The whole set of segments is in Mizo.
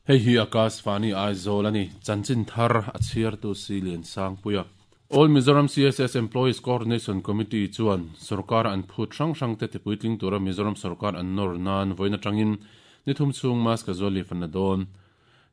Hei hi Akashvani Aizawl a ni. Chanchin thar a chhiartu si Liansangpuia. All Mizoram CSS Employees Coordination Committee chuan sorkar an phut hrang hrangte tipuitling tura Mizoram sorkar an nawr nan vawiin atangin ni thum chhung mask casual leave an la dawn.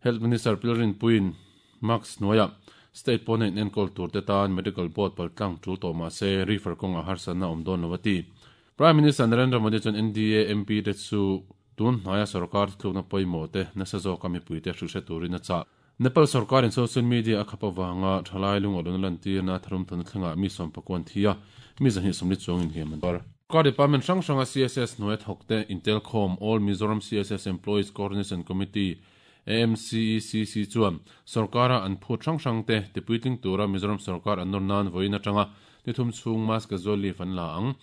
Health Minister Pilrinpuiin mask hnuaiah state pawna inenkawl turte tan medical board paltlang tul tawh mah se refer kawngah harsatna a awm dawn lo a ti. Prime Minister Narendra Modi chuan NDA MP te chu tun hnaia sorkar thlukna pawimawh te nasa zawka mipuite hrilhhre turin a chah. Nepal sorkarin social media a khap avanga thalai lungawlhna lantirna tharumthawna thlengah mi sawmpakuan thi a, mi 240 chuangin hliam an tuar. Sorkar department hrang hranga CSS hnuaia thawkte intelkhawm All Mizoram CSS Employees Coordination Committee, AMCECC, chuan sorkara an phut hrang hrangte tipuitling tura Mizoram sorkar an nawr nan vawiin atanga ni thum chhung mass casual leave an la ang.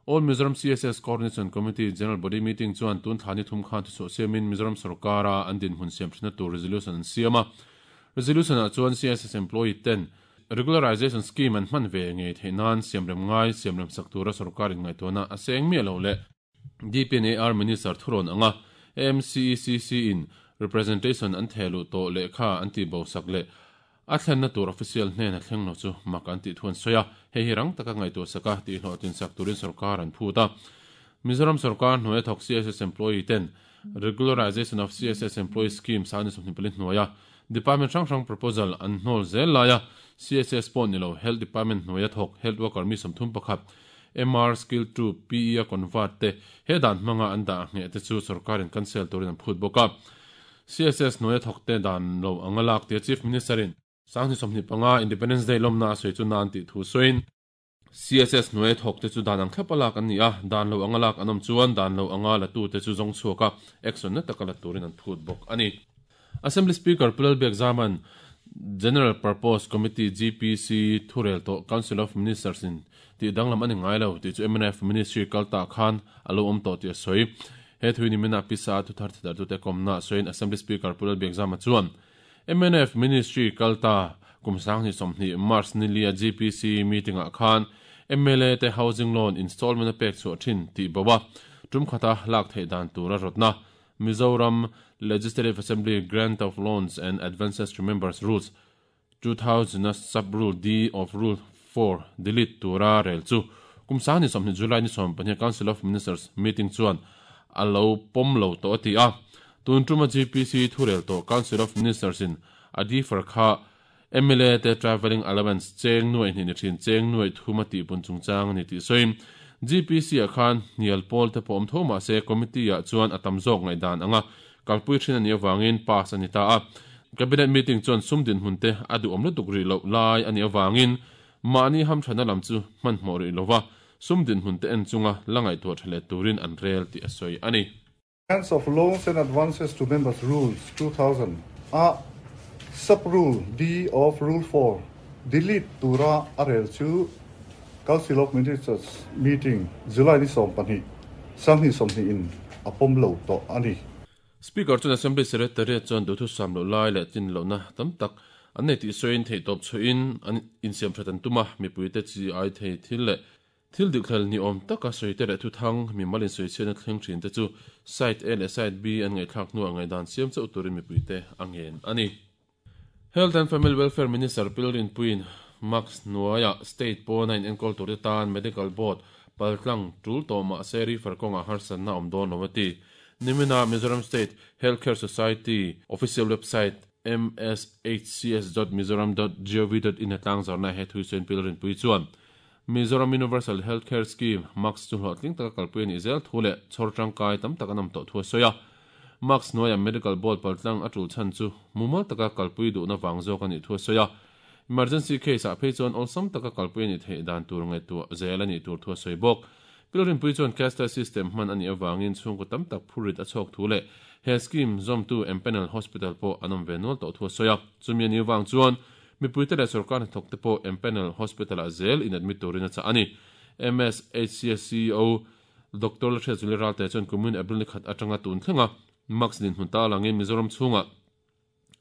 All Mizoram CSS Coordination Committee General Body Meeting chuan tun thla ni thum khan thuchhuah siamin Mizoram sorkara an dinhmun siam thinna tur resolution an siam a. Resolution ah chuan CSS employee ten Regularization Scheme an hman ve ngei theih nan siamrem ngai siamrem sak tura sorkar inngaihtuahna a seng miah lo leh DPNAR Minister thurawn anga AMCECC in representation an theh luh tawh lehkha an tihbo sak leh a thlenna tur official hnena thleng lo chu mak an tih thu an sawi a, hei hi rang taka ngaihtuah saka tihhlawhtlin sak turin sorkar an phut a. Mizoram sorkar hnuaia thawk CSS employee ten Regularization of CSS Employee Scheme sang ni 24 hnuaia Department hrang hrang proposal an hnawl zel laia CSS pawh ni lo Health Department hnuaia thawk Health Worker mi 31 MR Skill 2 PE a convert te he dan hmanga an dah ngheh te chu sorkarin cancel turin an phut bawk a. CSS hnuaia thawkte dan lo anga lak tia Chief Minister in 2025 Independence Day lawmna a sawi chu nan tih thu sawiin, CSS hnuaia thawkte chu dan ang thlap a lak an ni a, dan lo anga lak an awm chuan dan lo anga latute chu zawng chhuak a, action na taka la turin an phut bawk a ni. Assembly Speaker Pu Lalbiak Zaman, General Purpose Committee, GPC, thurel tawh Council of Ministers in tih danglam a ni ngai lo tih chu mnf Ministry kal tah khan a lo awm tawh tih a sawi. He thui nimina pisa a thuthar thidarhtute kawmna sawiin Assembly Speaker Pu Lalbiak Zama chuan mnf Ministry kal ta kum 2020 March nilia GPC meeting-ah khan mla te housing loan installment a pek chhuah thin tih bo a tum khata lak theih dan tur a rawtna Mizoram Legislative Assembly Grant of Loans and Advances to Members Rules 2000 a Sub-Rule D of Rule 4 delete tura rel chu kum 2020 July ni 14 Council of Ministers meeting chuan a lo pawm lo tawh a ti a. Tun tuma GPC thurel tawh Council of Ministers in a defer kha mla te travelling allowance cheng nuaih hnih ni thin cheng nuaih thum a tihpun chungchang a ni tih sawiin GPC ah khan hnial pawl te pawh awm tho mah se committee ah chuan a tam zawk ngaihdan anga kalpui thin a nih avangin pass a ni ta a. Cabinet meeting chuan sum dinhmun te a duhawm lutuk rih loh lai a nih avangin mahni hamthatna lam chu hmanhmawh rih lova sum dinhmun te en chunga la ngaihtuah tha leh turin an rel tih a sawi a ni. Grants of Loans and Advances to Members Rules, 2000 a Sub-Rule D of Rule 4 delete tura a rel chu Council of Ministers meeting July ni 12, 2020 in a pawm lo tawh a ni. Speaker chuan Assembly Secretariat chuan duhthusam loh lai leh tlin lohna tam tak an nei tih sawiin theihtawp chhuahin an insiamthat an tum a, mipuite chi ai thei thil leh Thil dikhlel ni awm taka sawi te leh thuthang, mimal insawichhiatna thleng thin te chu Site A leh Site B an ngaihthlak hnuah ngaihdan siam chauh turin mipuite a ngen a ni. Health and Family Welfare Minister Pilrinpuiin Mask hnuaiah state pawna inenkawl turte tan Medical Board paltlang tul tawh mah se refer kawngah harsatna awm dawn lo a ti. Nimina Mizoram State Healthcare Society official website mshcs.mizoram.gov.in a tlangzarna he thui sawiin Pilrinpui chuan Mizoram Universal Health Care Scheme, MACS, chu hlawhtling taka kalpui a nih zel thu leh chhawr tangkai tam tak an awm tawh thu a sawi a. MACS hnuaiah Medical Board paltlang a tul chhan chu mumal taka kalpui duhna vang zawk a nih thu a sawi a. Emergency case ah phei chuan awlsam taka kalpui a nih theih dan tur ngaihtuah zel a nih tur thu a sawi bawk. Pilrinpui chuan cashless system hman a nih avangin chhungkaw tam tak phurrit a chhawk thu leh he scheme zawmtu Empanel Hospital pawh an awm ve nual tawh thu a sawi a. Chumi a nih avang chuan Mipuite leh sorkar hnathawk te pawh Empanel Hospital-ah zel in admit turin a chah a ni. MSHCS CEO Doctor Lalhriat Zuli Ralte chuan kumin April ni khat atanga tun thlenga Max dinhmun ta langin Mizoram chhungah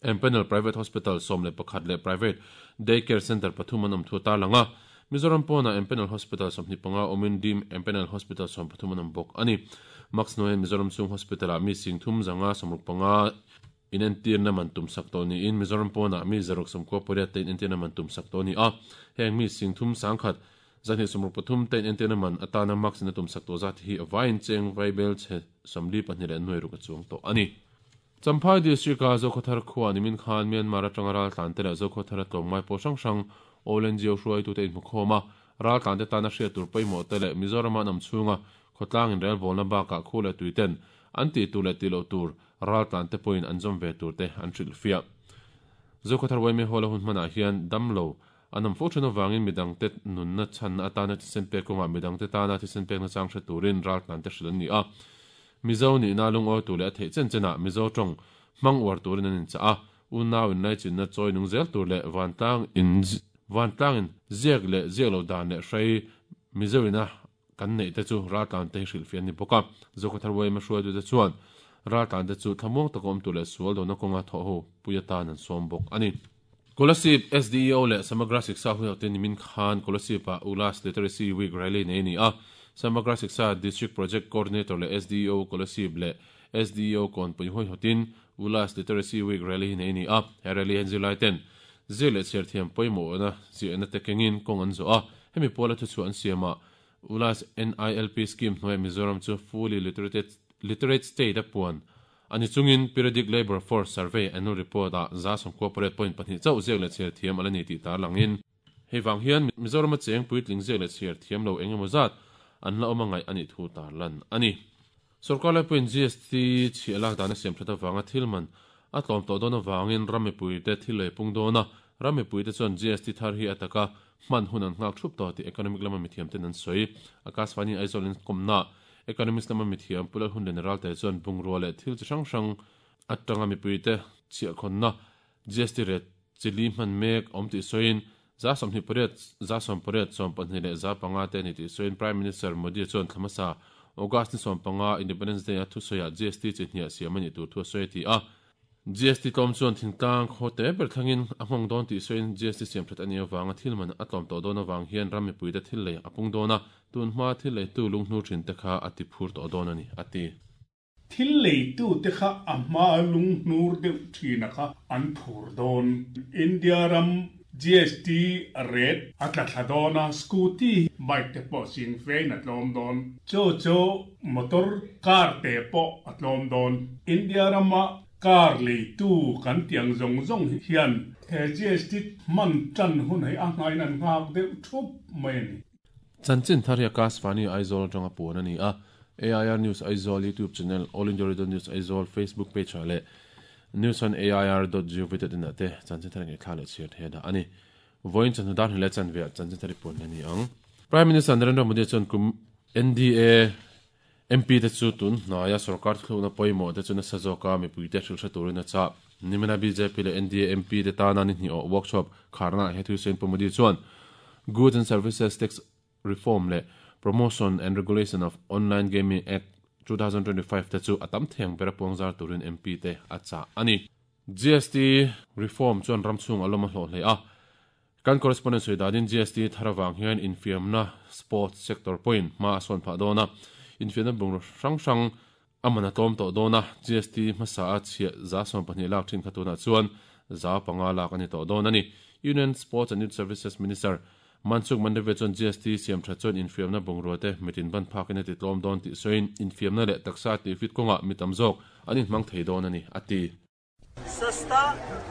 Empanel Private Hospital 11 leh Private Day Care Centre pathum an awm thu a tarlang a. Mizoram pawnah Empanel Hospital 25 awmin Dim Empanel Hospital 13 an awm bawk a ni. Max hnuaiah Mizoram chhung Hospital-ah mi sing thum zanga 65. inentirna man tum sak tawh niin Mizoram pawnah mi 698 te inentirna man tum sak tawh a ni a. Heng mi 30 1,2 123 te inentirna man atana mask in a tum sak tawh zat hi a vaiin cheng vaibel chhe 42 leh nuai ruk a chuang tawh a ni. Champhai District-a Zokhawthar khua nimin khan Myanmar atanga raltlante leh Zokhawthara tlawmngai pawl hrang hrang All NGO hruaitute inhmukhawm a, raltlante tana hriat tur pawimawh te leh Mizorama an awm chhunga khawtlang inrelbawlna bakah khu leh tuiten an tih tur leh tih loh tur raltlante pawhin an zawm ve tur te an hrilhfiah. Zokhawthar yma Hall-a hun hmanah hian damlo an awm fo then avangin midangte nunna chhanna atana thisen pek kawngah midangte tana thisen pekna chang hre turin raltlante hrilh an ni a. Mizo nihna lungawi tur leh a theih chen chenah Mizo tawng hmang uar turin an inchah a, unau inlaichinna chawi nung zel tur leh vantlang in vantlang in ziak leh ziak loh dan leh hrei Mizo ina kan neih te chu raltlante hi hrilhfiah an ni bawk a. Zokhawthar yma hruaitute chuan raltlante chu thlamuang taka awm tur leh sual dona kawnga thawh ho pui atan an sawm bawk a ni. Kolasib SDEO leh Samagra Shiksha huihawhte nimin khan Kolasib-ah Ulas Literacy Week Rally nei a ni a. Samagra Shiksha District Project Coordinator leh SDEO Kolasib leh SDEO Kawnpui huihawtin Ulas Literacy Week Rally hi nei a ni a. He rally hian zirlaiten zir leh chhiar thiam pawimawhna ziahna te kengin kawng an zawh a. Hemi pawla thuchhuah an siamah Ulas NILP Scheme hnuaiah Mizoram chu fully literate state a puan a ni chungin Periodic Labour Force Survey Annual Report ah 98.2 chauh ziak leh chhiar thiam a la ni tih tarlangin, hei vang hian Mizorama cheng puitling ziak leh chhiar thiam lo eng emaw zat an la awm a ngaih a nih thu tarlan a ni. Sorkar laipuiin GST chhiah lak dan a siam that avanga thil man a tlawm tawh dawn avangin ram mipuite thil lei pung dawn a, ram mipuite chuan GST thar hi a taka hman hun an nghak thup tawh tih economic lama mithiamten an sawi. Akashvani Aizawl in kawmna Economist lama mithiam Pu Lalhunliana Ralte chuan bungrua leh thil chi hrang hrang atanga mipuite chhiahkhawnna GST rate chili hman mek awm tih sawiin 28%, 18%, 12 leh 5% te a ni tih sawiin Prime Minister Modi chuan thla hmasa August ni 15 Independence Day a thusawiah GST chi hniah siam a nih tur thu a sawi a ti a. GST tlawm chuan thingtlang khaw te ber thlangin a nghawng dawn tih sawiin GST siam that a nih avanga thil man a tlawm tawh dawn avang hian ram mipuite thil lei a pung dawn a, tun hma thil leitu lunghnur thin te kha a ti phur tawh dawn a ni, a ti. Thil leitute kha a hma lunghnur deuh thina kha an phur dawn. India ram GST rate a tla thla dawn a, scooty, bike te pawh sing fein a tlawm dawn. Chu chu motor, car te pawh a tlawm dawn. India rama car leitu kan tih ang zawng zawng hian he GST hman tan hun hi a nghain an nghak deuh thup mai a ni. Chanchin thar hi Akashvani Aizawl atanga puan a ni a, AIR News Aizawl YouTube channel, All India Radio News Aizawl Facebook page ah leh News on AIR dot gov dot in ah te chanchin thar ngaihthlak leh chhiar thei a dah a ni. Vawiin chawhnu dar hnih leh chanve ah chanchin thar i puan a ni ang. Prime Minister Narendra Modi chuan kum NDA MP te chu tun hnaia sorkar thuthlukna pawimawh te chu nasa zawka mipuite hrilh hre turin a chah. Nimina bjp leh NDA MP te tana ni hnih awh workshop kharnaah he thu sawiin Pu Modi chuan Goods and Services Tax Reform leh Promotion and Regulation of Online Gaming Act 2025 te chu a tam theng ber a puangzar turin MP te a chah a ni. GST reform chuan ram chhung a lawm a hlawh hle a. Kan correspondent sawi danin GST thar avang hian infiamna sports sector pawhin hma a sawn phah dawn a, infiamna bungraw hrang hrang a man a tlawm tawh dawn a, GST hmasa a chhiah 12% lak thin kha tunah chuan 5% lak a ni tawh dawn a ni. Union Sports and Youth Services Minister Mansukh Mandaviya chuan GST siam tha chuan infiamna bungrua te mitin ban phakin a ti tlawm dawn tih sawiin infiamna leh taksa tihfit kawngah mi tam zawk an inhmang thei dawn a ni, a ti. सस्ता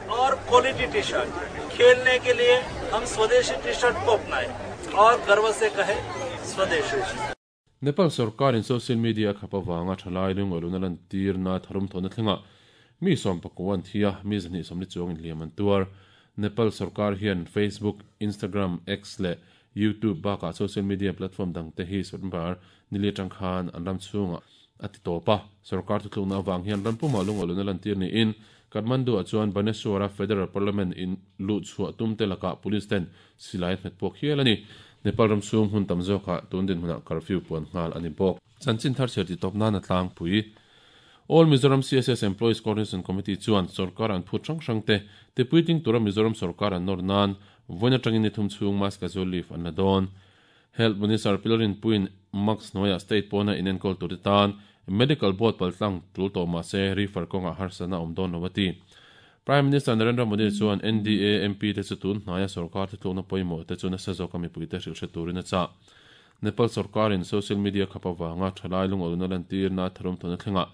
और quality T shirt खेलने के लिए हम स्वदेशी T shirt को अपनाएं और गर्व से कहे स्वदेशी Nepal sorkarin social media a khap avanga thalai lungawluna lantirna tharum thawhna thlengah mi sawmpakua an thi a, mi zahnih sawmli chuang inhliam an tuar. Nepal sorkar hian Facebook, Instagram, X leh YouTube bakah social media platform dangte hi September nili atang khan an ram chhungah a ti tawp a. Sorkar thutlukna avang hian ram pumah lungawluna lantir niin Kathmandu-ah chuan Baneswar-a Federal Parliament in luh chhuah tumte lakah police ten silai hmet puak hial a ni. Nepal ram chhung hmun tam zawkah tun dinhmunah curfew puan nghal a ni bawk. Chanchin thar chhiar ti tawp nan a tlangpui. All Mizoram CSS Employees Coordination Committee chuan sorkar an phut hrang hrang te tipuiting tura Mizoram sorkar an nawr nan vawiin atangin ni thum chhung mask casual leave an la dawn. Health Minister Pi Lalrinpuiin mask hnuaiah state pawna inenkawl turte tan Medical Board paltlang tul tawh mah se refer kawngah harsatna a awm dawn lo a ti. Prime Minister Narendra Modi chuan NDA MP te chu tun hnaia sorkar thuthlukna pawimawh te chu nasa zawka mipuite hrilh hre turin a chah. Nepal sorkarin social media khap avanga thalai lungawlna lantirna tharum tawhna thlengah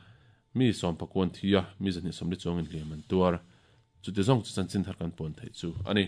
mi sawmpakuan thi a, mi 240 chuangin hliam an tuar. Chuti zawng chu chanchin thar kan puan theih chu a ni.